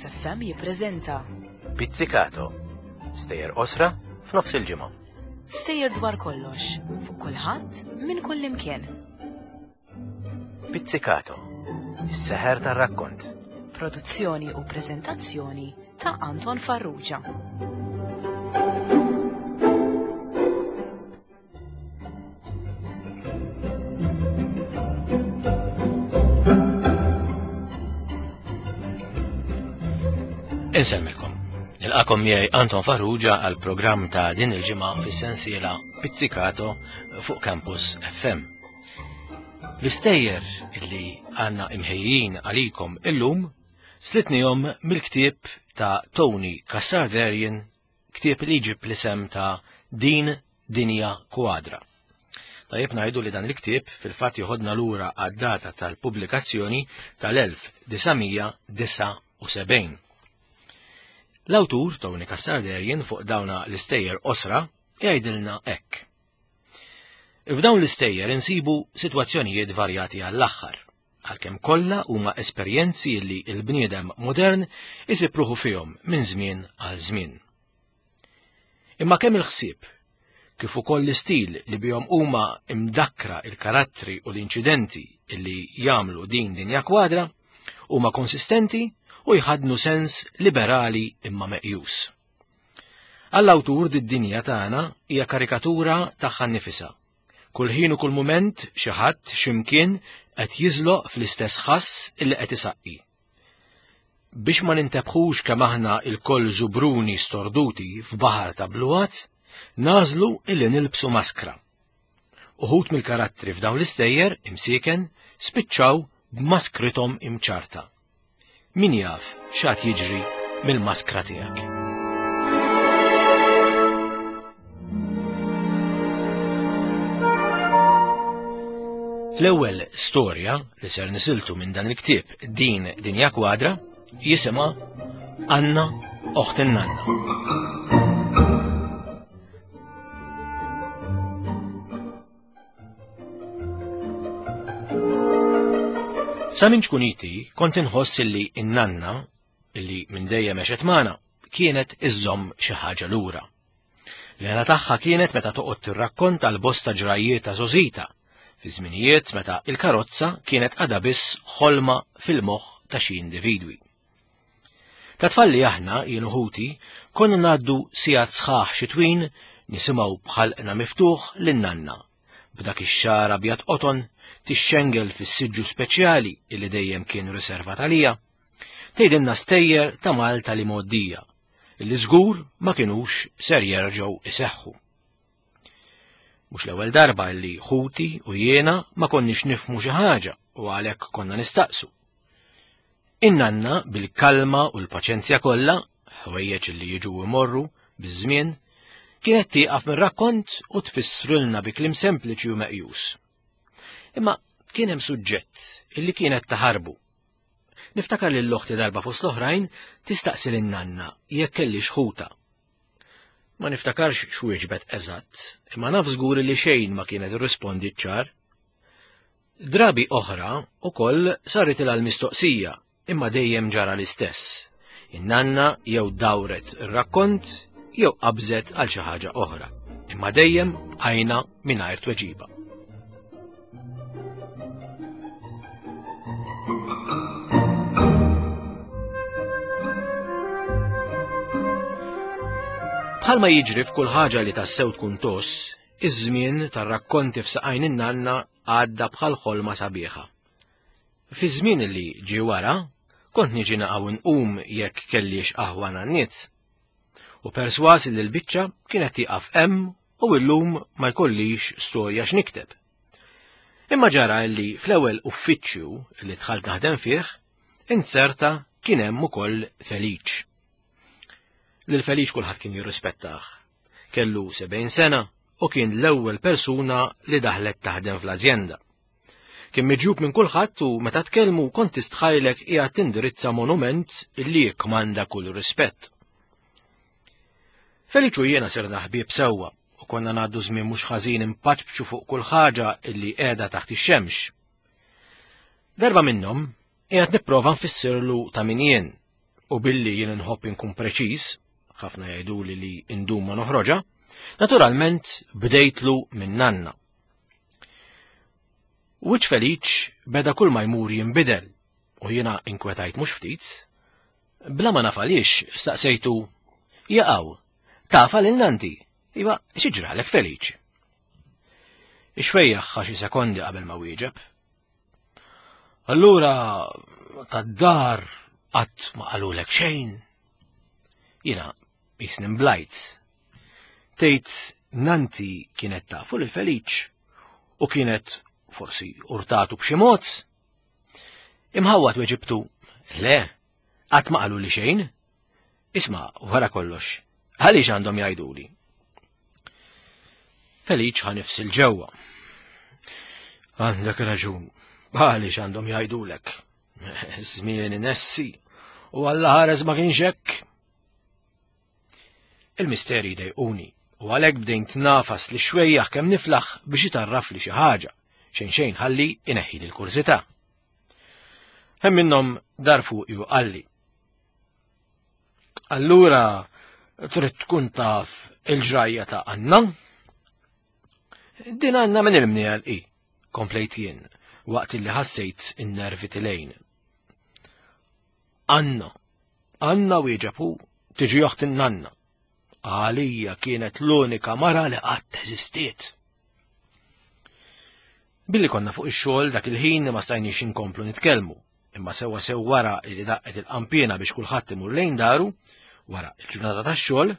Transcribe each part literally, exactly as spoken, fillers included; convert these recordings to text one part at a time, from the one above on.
Campus F M jippreżenta Pizzicato, stejjer qosra f'nofs il-ġimgħa. Stejjer dwar kollox, fuq kulħadd minn kull imkien. Pizzicato, is-seħer tar-rakkont. Produzzjoni u preżentazzjoni ta' Anton Farrugia. Insellmilkom. Nilqakom miegħi Anton Farrugia għal programm ta' din il-ġimgħa fis-sensiela Pizzicato fuq Campus F M. L-istejjer illi għandna imħejjin għalikom illum slitnihom mill-ktieb ta' Tony Cassar-Derian, ktieb li jġib l-isem ta' Din Dinja Kwadra. Tajjeb ngħidu li dan il-ktieb fil-fatt joħodna lura għad-data tal-pubblikazzjoni tal-elf disa' disa' u sebgħin. L-awtur Tony Cassar-Derian fuq dawna l-istejjer qosra jgħidilna hekk. F'dawn l-istejjer insibu sitwazzjonijiet varjati għall-aħħar, għalkemm kollha huma esperjenzi li l-bniedem modern isib ruħu fihom minn żmien għal żmien. Imma kemm il-ħsieb, kif ukoll l-istil li bihom huma imdakkra il-karattri u l-inċidenti li jagħmlu din dinja kwadra, huma konsistenti u jħadnu sens liberali imma meqjus. Għall-awtur did-dinja tagħna hija karikatura tagħha nnifisha. Kull ħin u kull mument xi ħadd x'imkien qed jiżloq fl-istess ħass illi qed isaqqi. Biex ma nintebħux kemm aħna lkoll żubruni storduti f'baħar ta' bluwat, nażlu illi nilbsu maskra. Uħud mill-karattri f'dawn l-istejjer imsieken spiċċaw b'maskrithom imċarta. Min jaf x'għad jiġri mill-maskra tiegħek. L-ewwel storja li ser nisiltu minn dan il-ktieb Din Dinja Kwadra jisimha Anna Oħt in-Nanna. Sa minn ċkuniti kont inħoss illi in-nanna, illi minn dejjem għexet magħna, kienet iżżomm xi ħaġa lura. L-għena tagħha kienet meta toqgħod tirrakkonta l-bosta ġrajiet ta' żożita, fi żminijiet meta il-karozza kienet għadha biss ħolma fil-moħħ ta' xi individwi. Ta' tfalli aħna, jien u ħuti, konna ngħaddu sigħat sħaħ xitwin nisimgħu bħalqna miftuħ lin-nanna, b'dak ix-xagħar abjad qoton tixxengel fis-siġġu speċjali illi dejjem kien riservat għalija, tgħidilna stejjer ta' Malta li mgħoddija, illi żgur ma kinux ser jerġgħu iseħħu. Mhux l-ewwel darba li ħuti u jiena ma konniex nifhmu xi ħaġa u għalhekk konna nistaqsu. In-nanna bil-kalma u l-paċenzja kollha, ħwejjeġ li jiġu imorru biż-żmien, kienet tieqaf mir-rakkont u tfissrilna bi kliem sempliċi u meqjus. Imma kien hemm suġġett illi kienet taħarbu. Niftakar lil oħti darba fost l-oħrajn tistaqsi lin-nanna jekk kellix ħuta. Ma niftakarx x'wieġbet eżatt, imma naf żgur li xejn ma kienet irrispondi ċar. Drabi oħra ukoll saritilha l-mistoqsija, imma dejjem ġara l-istess. In-nanna jew dawret ir-rakkont jew qabżet għal xi ħaġa oħra, imma dejjem bqajna mingħajr tweġiba. Bħalma jiġri f'kull ħaġa li tassew tkun toss, iż-żmien tar-rakkonti f'saqajn in-nanna għadda bħal ħolma sabiħa. Fi żmien li ġie wara, kont niġi naqgħu nqum jekk kellix aħwa nanniet. U perswas li l-biċċa kienet tieqaf hemm u llum ma jkollix storja x'nikteb. Imma ġara li fl-ewwel uffiċċju li dħalt naħdem fih, inserta kien hemm ukoll Feliċ. Lil Feliċ kulħadd kien jirrispettah. Kellu sebgħin sena u kien l-ewwel persuna li daħlet taħdem fl-azjenda. Kien miġjub minn kulħadd u meta tkellmu kont tistħajlek qiegħed tindirizza monument li jikkmanda kull rispett. Feliċ u jiena sirna ħbieb sewwa u konna ngħaddu żmien mhux ħażin impaċċu fuq kull ħaġa illi qiegħda taħt ix-xemx. Darba minnhom qiegħed nipprova nfissirlu ta' min jien. U billi jien nħobb inkun preċiż, ħafna jgħiduli li indum ma noħroġa, naturalment bdejtlu minn nanna. Wiċċ Feliċ beda kull ma jmur jinbidel u jiena inkwetajt mhux ftit. Bla ma naf għaliex staqsejtu, jaqaw, tafa lil nanti, iva xi ġralek Feliċ? Ix-xwejjaħ xi sekondi qabel ma wieġeb. Allura tad-dar qatt ma qalulek xejn. Jiena jisni mblajt. Tgħid nanti kienet tafu lil Feliċ u kienet forsi urtatu b'xi mod. Imħawwad weġibtu, le, qatt ma qaluli xejn. Isma' wara kollox, għaliex għandhom jgħiduli? Feliċ ħa nifs 'il ġewwa. Għandek raġun, għaliex għandhom jgħidulek? Żmien inessi, u Alla ħares ma kienx hekk. Il-misteri dejquni, u għalhekk bdejt nagħfas lix-xwejjaħ kemm niflaħ biex itarraf li xi ħaġa, xejn xejn ħalli ineħħi l-kurżità. Hemm minnhom dar fuqi u qalli. Allura trid tkun taf il-ġrajja ta' Anna? Din Anna minn il-mniegħel i, komplejt jien, waqt li ħassejt in-nervi tilejn. Anna, Anna wieġeb hu, tiġi oħt in-nanna. Għalija kienet l-unika mara li qatt eżistiet. Billi konna fuq ix-xogħol dak il-ħin ma stajniex inkomplu nitkellmu, imma sewwa sew wara li daqqet il-qampiena biex kulħadd imur lejn daru, wara il-ġurnata tax-xogħol,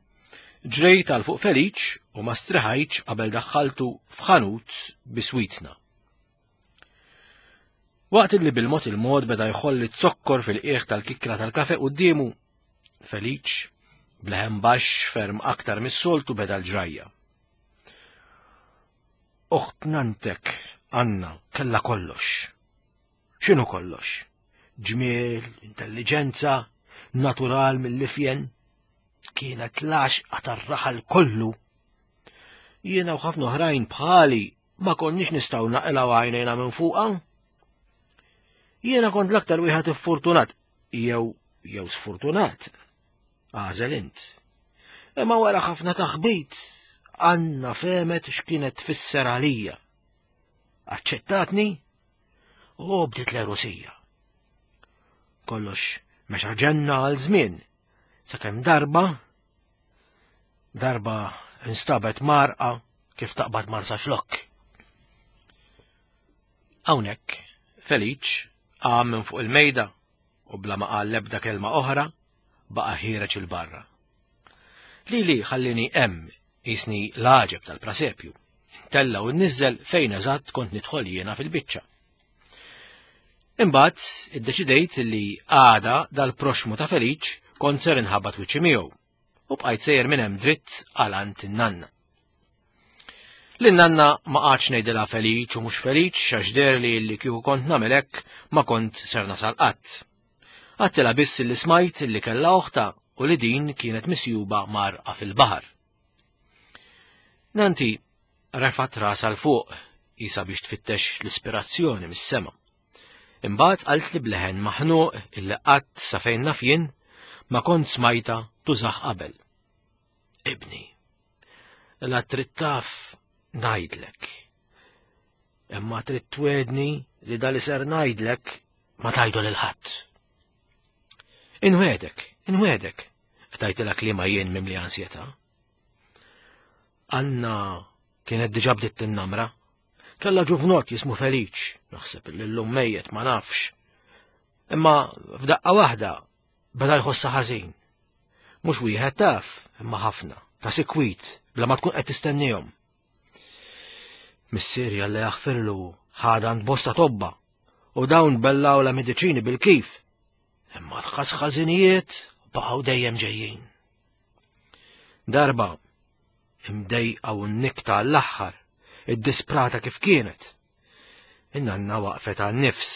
ġrejt għal fuq Feliċ u ma striħajtx qabel daħħaltu f'ħanut biswitna. Waqt li bil-mod il-mod beda jħolli zokkor fil-qiegħ tal-kikra tal-kafe quddiemu, Feliċ bleħen baxx ferm aktar mis-soltu beda l-ġrajja. Oħt nantek, Anna, kella kollox. X'inhu kollox? Ġmiel, intelliġenza, natural mill-ifjen. Kienet l-għaxqa tar-raħal kollu. Jiena u ħafna oħrajn bħali ma konniex nistgħu naqilgħu għajnejna minn fuqha. Jiena kont l-aktar wieħed iffortunat, jew jew sfortunat. Għażel int. Imma wara ħafna taħbit, Anna fehmet x'kienet tfisser għalija. Aċċettatni u bdiet l-erosija. Kollox mexa ġenna għal żmien, sakemm darba darba instabet marqa kif taqbad Marsaxlokk. Hawnhekk Feliċ qam minn fuq il-mejda u bla ma qal l-ebda kelma oħra baqa' ħiereġ 'il barra. Lili ħallini hemm jisni l-għaġeb tal-prasepju. Tella u nniżel fejn eżatt kont nidħol jiena fil-biċċa. Imbagħad iddeċidejt li għada dal-proxmu ta' Feliċ kont ser inħabbat wiċċi miegħu u bqajt sejjer minn hemm dritt għal għand in-nanna. Lin-nanna ma qgħadx ngħidilha Feliċ u mhux Feliċ għax deherli li kieku kont nagħmel hekk ma kont ser nasal qatt. Għedtilha biss li smajt li kellha oħta u li din kienet misjuba mgħarrqa fil-baħar. Nanti refat rasha 'l fuq jisa biex tfittex l-ispirazzjoni mis-sema. Imbagħad qalt li bleħen maħnuq illi qatt sa fejn naf jien ma kont smajta tużaħ qabel. Ibni, la trid taf ngħidlek. Imma trid twedni li dal ser ngħidlek ma tajdu lil ħadd. Inwegħdek, inwegħdek, tajtilha kliema jien mimli ansjetà. Anna kienet diġà bdiet tinnamra. Kella ġuvnot jismu Feliċ, naħseb li llum mejjet ma nafx. Imma f'daqqa waħda beda jħossha ħażin. Mhux wieħed taf, imma ħafna, ta' sikwit, bla ma tkun qed tistennihom. Missieri Alla jaħfirlu ħadha għand bosta tobba u dawn bellaw la mediċini bil-kif. Imma l-ħasħażinijiet baqgħu dejjem ġejjin. Darba imdejqa u nnikta għall-aħħar, id-disprata kif kienet. In-nanna waqfet għan-nifs.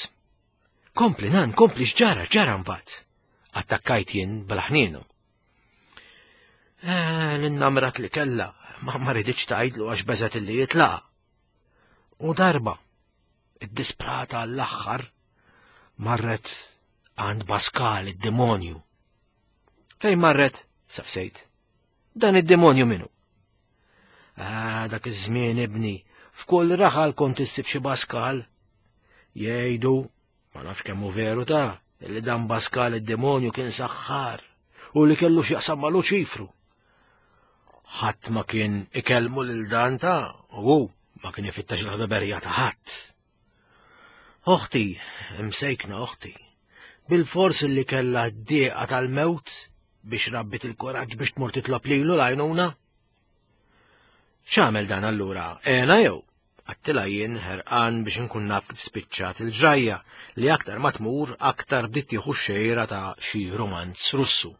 Kompli nan, kompli x'ġara, ġara mbagħad. Attakkajt jien bla ħnienu. Eh, l-innamrat li kella, ma ma riditx tgħidlu għax beżet illi jitlaqa. U darba, id-disprata għall-aħħar, marret għand Baskal id-demonju. Fejn marret? Saqsejt. Dan id-demonju minu? Ah, dak iż-żmien ibni, f'kull raħal kont issib xi Baskal. Jgħidu, ma nafx kemm hu veru ta' li dan Baskal id-demonju kien saħħar u li kellu x'jaqsam ma' Luċifru. Ħadd ma kien ikellmu lil dan ta' u hu ma kien ifittax il-ħbeberija ta' ħadd. Oħti, imsejkna oħti, bil-fors li kellha d-dieqa tal-mewt biex rabbit il-kuraġġ biex tmur titlob lilu l-għajnuna. X'għamel dan allura? Għena jew? Għedtilha jien ħerqan biex inkun naf kif spiċċat il-ġrajja li aktar ma tmur aktar bdiet tieħu xejra ta' xi romanz Russu.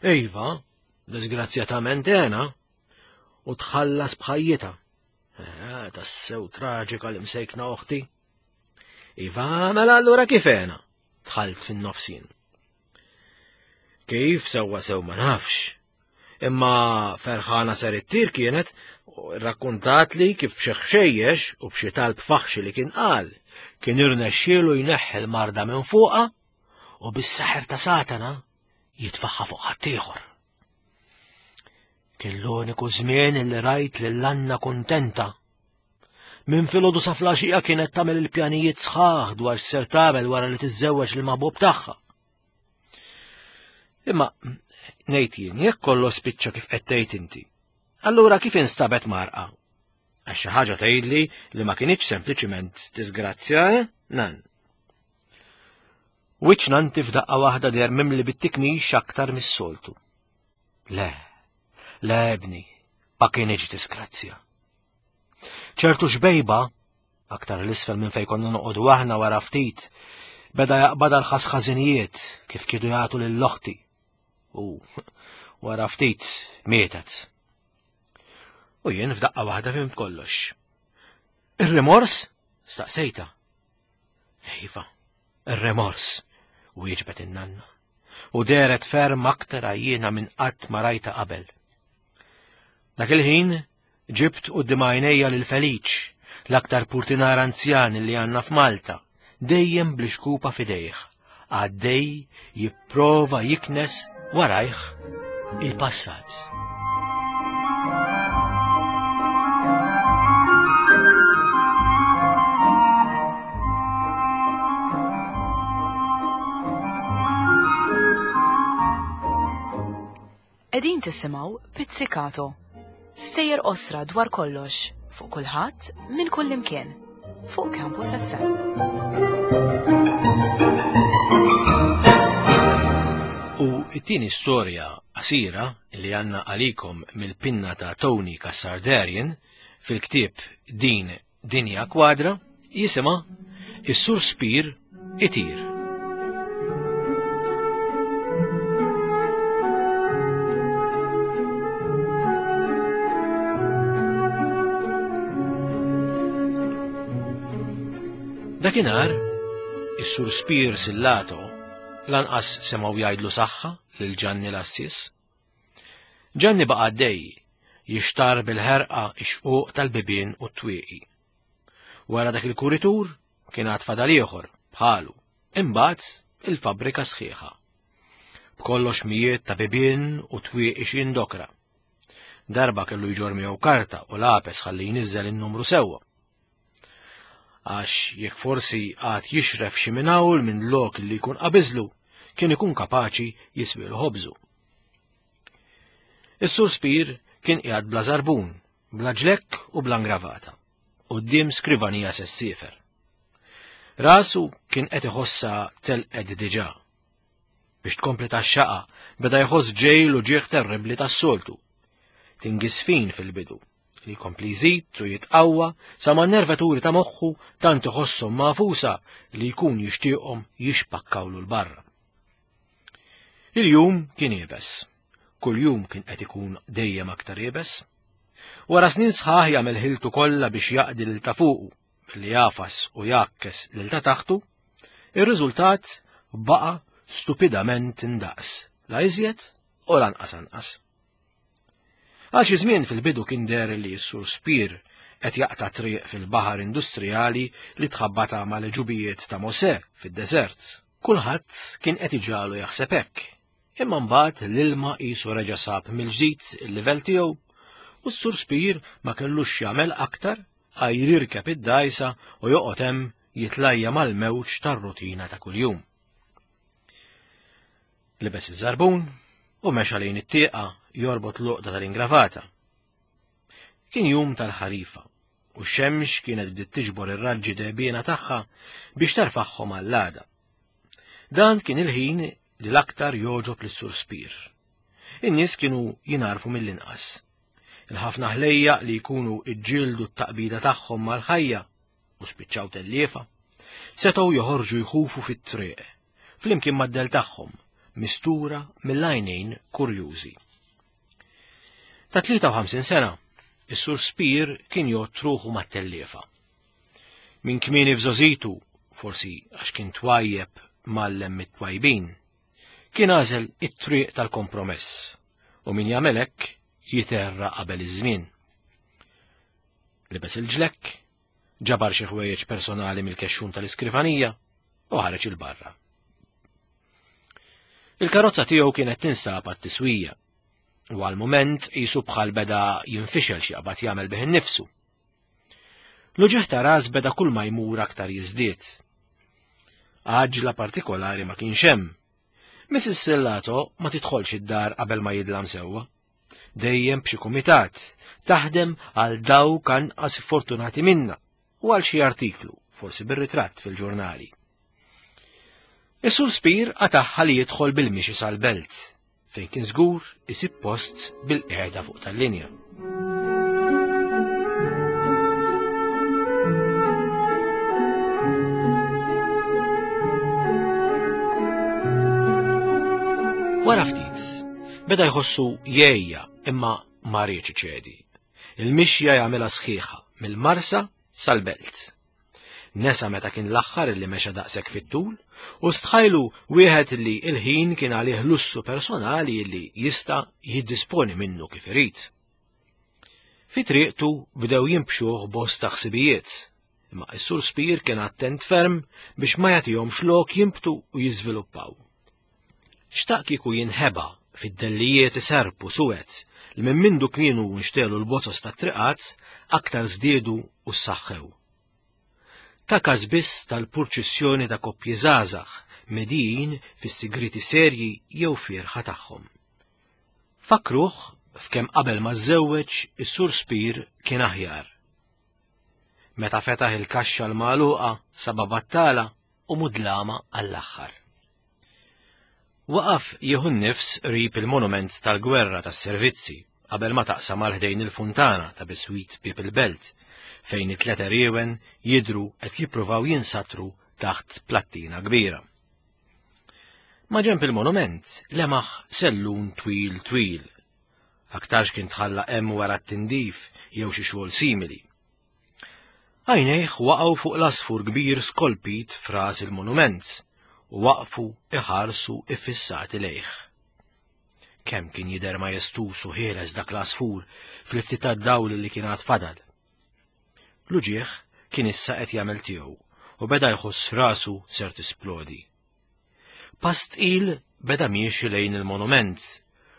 Iva, disgrazzjatament għena, u tħallas b'ħajjitha. Eh, tassew traġika li msejkna oħti. Iva, mela allura kif għena? Dħalt fin-nofsin. Kif sewwa sew ma nafx. Imma ferħana ser ittir kienet rakkontat li kif b'xi ħxejjex u b'xi talb faħxi li kien qal, kien irnexxielu jneħħi l-marda minn fuqha u bis-saħer ta' Satana jitfaħħa fuq ħaddieħor. Kien l-uniku żmien li rajt lil Anna kuntenta. Minn filgħodu sa flaxija kienet tagħmel il-pjanijiet sħaħ dwar x'ser tagħmel wara li tiżżewweġ lil maħbub tagħha. Imma ngħid jien jekk kollox spiċċa kif qed tgħid inti. Allura kif instabet marqa? Għax xi ħaġa tgħidli li ma kinitx sempliċiment disgrazzja, eh? Nan. Wiċċ nanti f'daqqa waħda deher mimli bit-tikmix aktar mis-soltu. Le, le ibni, ma kinitx disgrazzja. ċertu xbejba, aktar l-isfel minn fejn konna noqogħdu aħna wara ftit, beda jaqbadha l-ħasħażinijiet kif kienu jagħtu lil oħti. U wara ftit mietet. U jien f'daqqa waħda fhimt kollox. Ir-rimors? Staqsejta. Iva, ir-remors, wieġbet in-nanna. U dehret ferm aktar għajjiena minn qatt ma rajta qabel. Dak il-ħin ġibt quddiem għajnejja lil Feliċ, l-aktar purtinar anzjan li għandna f'Malta, dejjem bl-ixkupa f'idejh, għaddej jipprova jiknes warajh il-passat. Qegħdin tisimgħu Pizzicato. Stejjer qosra dwar kollox, fuq kulħadd minn kull imkien, fuq Campus F M. U it-tieni storja qasira li għandna għalikom mill-pinna ta' Tony Cassardarian fil-ktieb Din Dinja Kwadra jisimha Is-Sur Spir Itir. Dakinhar, is-Sur Spir Sillato lanqas semgħu jgħidlu saħħa lil Ġanni l-Assis. Ġanni baqa' għaddej jixtar bil-ħerqa ix-xquq tal-bibien u t-twieqi. Wara dak il-kuritur kien għad fadal ieħor bħalu, imbagħad il-fabbrika sħiħa. B'kollox mijiet ta' bibien u twieqi x'jindokra. Darba kellu jġorr miegħu karta u lapes ħalli jniżżel in-numru sewwa. Għax jekk forsi għad jixref xi minn hawn minn lok li jkun qabiżlu, kien ikun kapaċi jiswilu ħobżu. Is-Sur Spir kien qiegħed bla żarbun, bla ġlekk u bla ngravata, quddiem skrivanija sessiefer. Rasu kien qed iħossha telqed diġà. Biex tkompli tax-xaqa beda jħoss ġejl u ġieħ terribbli tas-soltu. Tingisfin fil-bidu, li jkompli jżid u jitqawwa sa ma nervaturi ta' moħħu tant iħosshom mafusa li jkun jixtieqhom jixpakkawlu l-barra. Il-jum kien iebes. Kull jum kien qed ikun dejjem aktar iebes. Wara snin sħaħ jagħmel ħiltu kollha biex jaqdi lil ta' fuqu, billi jafas u jakkes lil ta' taħtu, ir-riżultat baqa' stupidament indaqs, la iżjed u lanqas anqas. Għal xi żmien fil-bidu kien deher li s-Sur Spir qed jaqta' triq fil-baħar industrijali li tħabbata mal-ġubijiet ta' Mosè fid-deżert. Kulħadd kien qed iġalu jaħseb hekk, Imma mbagħad l-ilma qisu reġa' sab mill-ġdid il-livell tiegħu u s-Sur Spear ma kellux jagħmel aktar għajr jirkeb id-dgħajsa u joqgħod hemm jitlajja mal-mewġ tar-rutina ta' kuljum. Libes iż-żarbun u mexa lejn it-tieqa jorbot l-uqda tal-ingravata. Kien jum tal-ħarifa u x-xemx kienet bdiet tiġbor ir-raġġi dehbiena tagħha biex terfagħhom għall-għada. Dan kien il-ħin li l-aktar jogħġob lis-Sur Spear. In-nies kienu jingħarfu mill-inqas. Il-ħafna ħlejjaq li jkunu iġġieldu t-taqbida tagħhom mal-ħajja u spiċċaw telliefa, setgħu joħorġu jħufu fit-triq, flimkien mad-del tagħhom, mistura mill-għajnejn kurjużi. Ta' tlieta u ħamsin sena, is-Sur Spear kien jgħodd ruħu mat-telliefa. Minn kmieni f'żgħożitu, forsi għax kien twajjeb mgħallem mit-twajbin, kien għażel it-triq tal-kompromess u min jagħmel hekk jiterra qabel iż-żmien. Libes il-ġlekk, ġabar xi ħwejjeġ personali mill-kexxun tal-iskrivanija u ħareġ il-barra. Il-karozza tiegħu kienet tinstab għat-tiswija u għal mument qisu bħal beda jinfixel x'jaqbad jagħmel bih innifsu. L-uġigħ ta' ras beda kull ma jmur aktar jiżdied. Għaġla partikolari ma kienx hemm. Missus Sellato ma tidħolx id-dar qabel ma jidlam sewwa. Dejjem b'xi kumitat, taħdem għal dawk anqas fortunati minna u għal xi artiklu, forsi bir-ritratt fil-ġurnali. Is-Sur Spear qatagħha li jidħol bil-mixi sal-belt, fejn kien żgur isib post bil-qiegħda fuq tal-linja. Wara ftit, beda jħossu jgħejja imma ma riedx iċedi. Il-mixja jagħmilha sħiħa mill-Marsa sal-belt. Nesa meta kien l-aħħar li mexa daqshekk fit-tul u stħajlu wieħed li il-ħin kien għalih lussu personali li jista' jiddisponi minnu kif irid. Fi triqtu bdew jimbxuh bosta ħsibijiet, imma s-Sur Spear kien attent ferm biex ma jagħtihomx lok jimbtu u jiżviluppaw. Xtaq kieku jinħeba fid-dellijiet iserpu suwed li minn mindu kienu nxtelu l-bozos tat-triqat aktar żdiedu u ssaħħew. Ta' każ biss tal-purċissjoni ta' koppji żgħażagħ medijin fis-sigriti serji jew fierħa tagħhom. Fakruh f'kemm qabel ma żżewweġ is-Sur Spear kien aħjar. Meta fetaħ il-kaxxa l-magħluqa saba battala u mudlama għall-aħħar. Waqaf jieħu n-nifs qrib il-monument tal-gwerra tas-servizzi qabel ma taqsam għal ħdejn il-funtana ta' biswit bieb il-belt fejn it-tlet eriewen jidhru qed jippruvaw jinsatru taħt plattina kbira. Ma ġenb il-monument lemaħ sellun twil twil. Aktarx kien tħalla hemm wara t-tindif jew xi xogħol simili. Għajnejh waqgħu fuq l-asfur kbir skolpit f'ras il-monument u waqfu iħarsu iffissati lejh. Kemm kien jidher majestuż u ħieles dak l-asfur fil-ftit tad-dawl li kien għad fadal. L-uġigħ kien issa qed jagħmel tiegħu u beda jħoss rasu ser tisplodi. Pass tqil beda miexi lejn il-monument,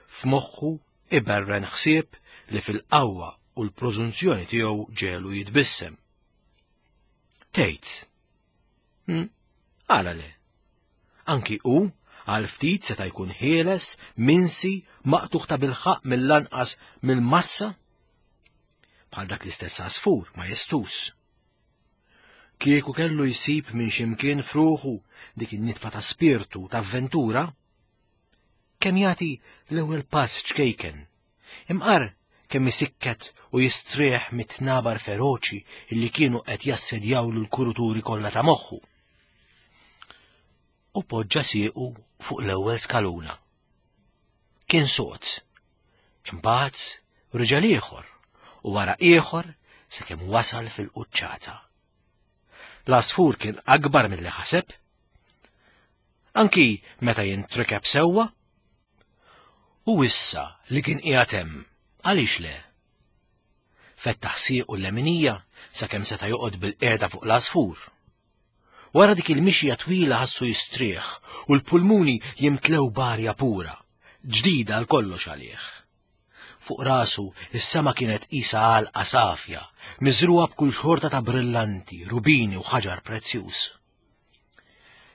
f'moħħu iberren ħsieb li fil-qawwa u l-prożunzjoni tiegħu ġelu jitbissem. Tgħid. Hm, għala le? Anki hu għal ftit seta' jkun ħieles, minsi, maqtugħ ta' bilħaq mill-lanqas mill-massa? Bħal dak l-istess għasfur majestuż. Kieku kellu jsib minn ximkien f'ruħu dik in-nitfa ta' spirtu ta' avventura, kemm jagħti l-ewwel pass ċkejken, imqar kemm isikket u jistrieħ mit-tnabar feroċi illi kienu qed jassedjawlu l-kuruturi kollha ta' moħħu. U poġġa siequ fuq l-ewwel skaluna. Kien sod. Imbagħad riġel ieħor u wara ieħor sakemm wasal fil-quċċata. L-għasfur kien akbar milli ħaseb. Anki meta jintrikeb sewwa. U issa li kien qiegħed hemm, għaliex le? Fettaħ siequ l-leminija sakemm seta' joqgħod bil-qiegħda fuq l-għasfur. Wara dik il-mixja twila ħassu jistrieħ u l-pulmuni jimtlew b'arja pura. ġdida għal kollox għalih. Fuq rasu is-sema kienet qisha għalqa safja, miżruha b'kull xorta ta' brillanti, rubini u ħaġar prezzjuż.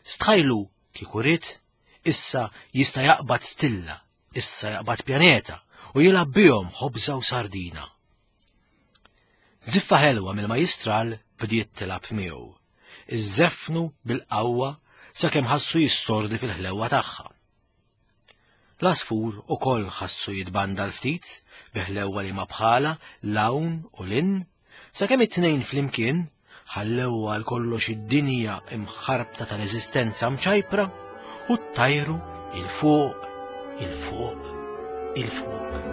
Stħajlu kieku ried, issa jista' jaqbad stilla, issa jaqbad pjaneta u jilgħab bihom ħobża u sardina. Ziffa ħelwa mill-majistral bdiet tilgħab miegħu. Iżżeffnu bil-qawwa sakemm ħassu jistordi fil-ħlewwa tagħha. L-għasfur ukoll ħassu jitbanda l-ftit biħlewwa li ma bħala l-hawn u l-in, sakemm it-tnejn flimkien ħallew għal kollox id-dinja imħarbta tal-eżistenza mċajpra u ttajru 'il fuq, 'il fuq, 'il fuq.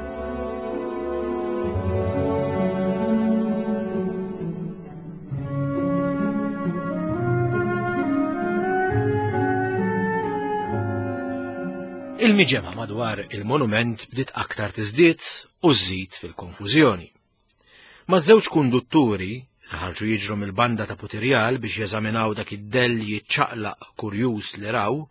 Il-miġemgħa madwar il-monument bdiet aktar tiżdied u żżid fil-konfużjoni. Ma' żewġ kundutturi li ħarġu jiġru mill-banda ta' Putirjal biex jeżaminaw dak id-dell jiċċaqlaq kurjuż li raw,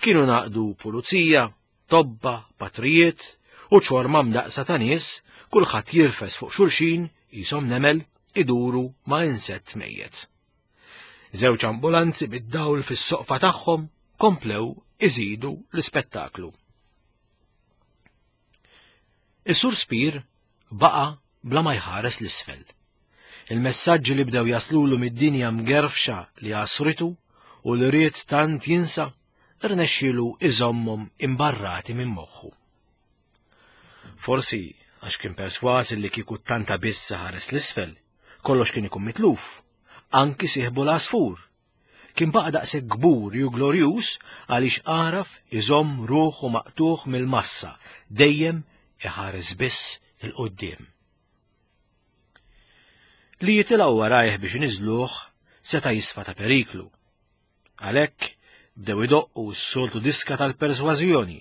kienu naqdu pulizija, tobba, patrijiet u ċorma mdaqsa ta' nies, kulħadd jirfes fuq xulxin qishom nemel iduru ma' insett mejjet. Żewġ ambulanzi bid-dawl fis-soqfa tagħhom komplew iżidu l-ispettaklu. Is-Sur Spir baqa' bla ma jħares l-isfel. Il-messaġġi li bdew jaslulu mid-dinja mgerfxa li għasritu u li ried tant jinsa irnexxielu iżommhom imbarrati minn moħħu. Forsi għax kien perswas li kieku tanta biss ħares l-isfel, kollox kien ikun mitluf, anki sieħbu l-għasfur. Kien baqa' daqshekk kbur u glorjuż għaliex għaraf iżomm ruħu maqtuħ mill-massa, dejjem iħares biss il-quddiem. Li jitilgħu warajh biex niżluh seta' jisfa ta' periklu. Għalhekk bdew idoqqu s-soltu diska tal-persważjoni.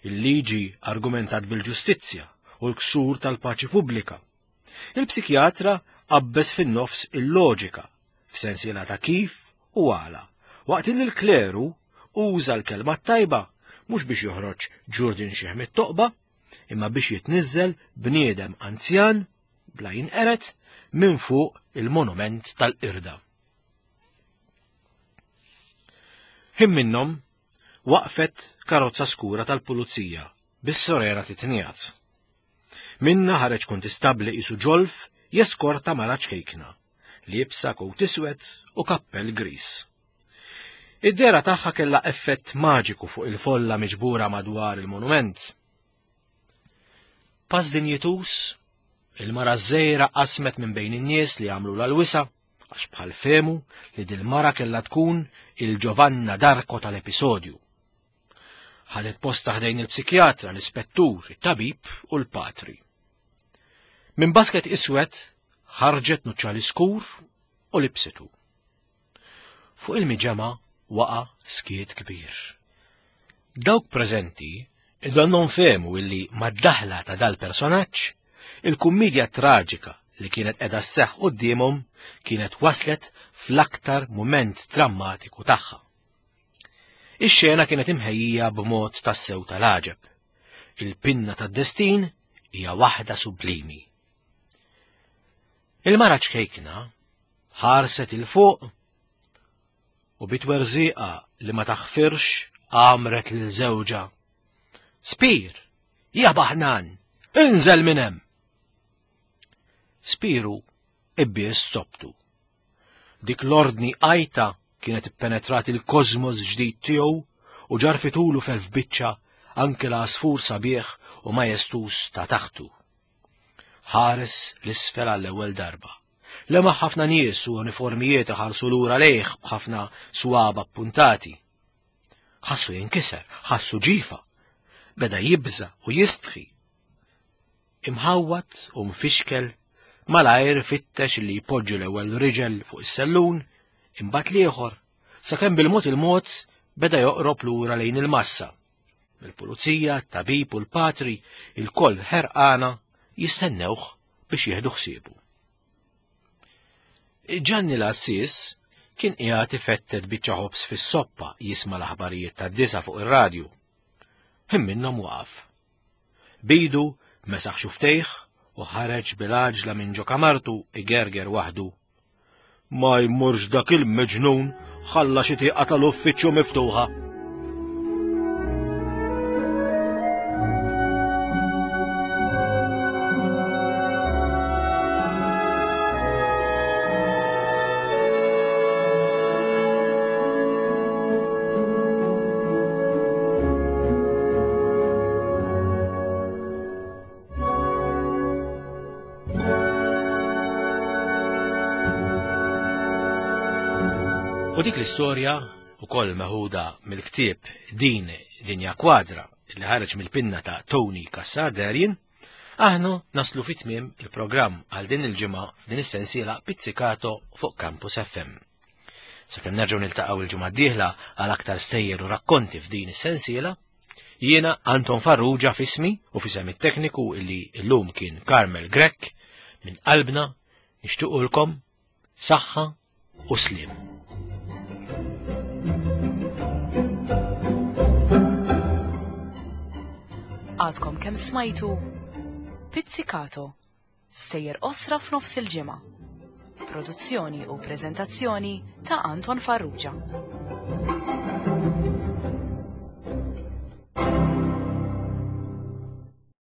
Il-liġi argumentat bil-ġustizzja u l-ksur tal-paċi pubblika. Il-psikjatra qabbes fin-nofs il-loġika, f'sensiela ta' kif u għala, waqt li l-kleru uża l-kelma tajba mhux biex joħroġ ġurdin xieħ mit-toqba, imma biex jitniżżel bniedem anzjan bla jinqeret minn fuq il-monument tal-qirda. Ħin minnhom waqfet karozza skura tal-pulizija bis-sorera titnijat. Minna ħareġ kuntistabbli qisu ġolf jeskorta mara ċkejkna, liebsa kowt iswed u kappell gris. Id-dehra tagħha kellha effett maġiku fuq il-folla miġbura madwar il-monument. Pass dinjitus, il-mara żgħira qasmet minn bejn in-nies li għamlu l-wisa, għax bħal fehmu li dil-mara kellha tkun il-Giovanna D'Arco tal-episodju. Ħadet posta ħdejn il-psikjatra, l-ispettur, it-tabib u l-patri. Minn basket iswed ħarġet nuċċali skur u libsitu. Fuq il-miġemgħa waqa' skiet kbir. Dawk preżenti idonnhom fehmu illi mad-daħla ta' dal-personaġġ il-kummedja traġika li kienet qiegħda sseħħ quddiemhom kienet waslet fl-aktar mument drammatiku tagħha. Ix-xena kienet imħejjija b'mod tassew tal-għaġeb. Il-pinna tad-destin hija waħda sublimi. Il-mara ċkejkna ħarset il fuq u bitwerżieqa li ma taħfirx għamret lil żewġha. Spir, ja baħnan, inżel minn hemm. Spiru ibbies sobtu. Dik l-ordni għajta kienet ippenetrat il-kosmos ġdid tiegħu u ġarfitulu felf biċċa anke l-għasfur sabiħ u majestus ta' taħtu. Ħares l-isfel għall-ewwel darba. Lema ħafna nies u uniformijiet ħarsu lura lejh b'ħafna swaba appuntati. Ħassu jinkiser, ħassu ġifa. Beda jibża u jistħi. Imħawwat u mfixkel malajr fittex li jpoġġi l-ewwel riġel fuq is-sellun, imbagħad l-ieħor, sakemm bil-mod il-mod beda joqrob lura lejn il-massa. Il-pulizija, t-tabib u l-patri, il-koll ħerqana jistennewh biex jieħdu ħsiebu. Ġanni l-Assis kien qiegħed ifettet biċċa ħobż fis-soppa jisma' l-aħbarijiet tad-disa fuq ir-radju. Ħin minnhom waqaf. Bidu mesaħ xuftejh u ħareġ bil-għaġla minn ġo kamartu igerger waħdu. Ma jmurx dak il-meġnun ħalla xi tieqa tal-uffiċċju miftuħa. U dik l-istorja ukoll meħuda mill-ktieb Din Dinja Kwadra li ħareġ mill-pinna ta' Tony Cassar Darien, aħna naslu fi tmiem il-programm għal din il-ġimgħa f'din is-sensiela Pizzicato fuq Campus F M. Sakemm nerġgħu niltaqgħu il-ġimgħa d-dieħla għal aktar stejjer u rakkonti f'din is-sensiela, jiena Anton Farrugia f'ismi u f'isem it-tekniku illi llum kien Carmel Grech, minn qalbna nixtiequlkom saħħa u sliem. Għadkom kemm smajtu Pizzicato, stejjer qosra f'nofs il-ġimgħa. Produzzjoni u preżentazzjoni ta' Anton Farrugia.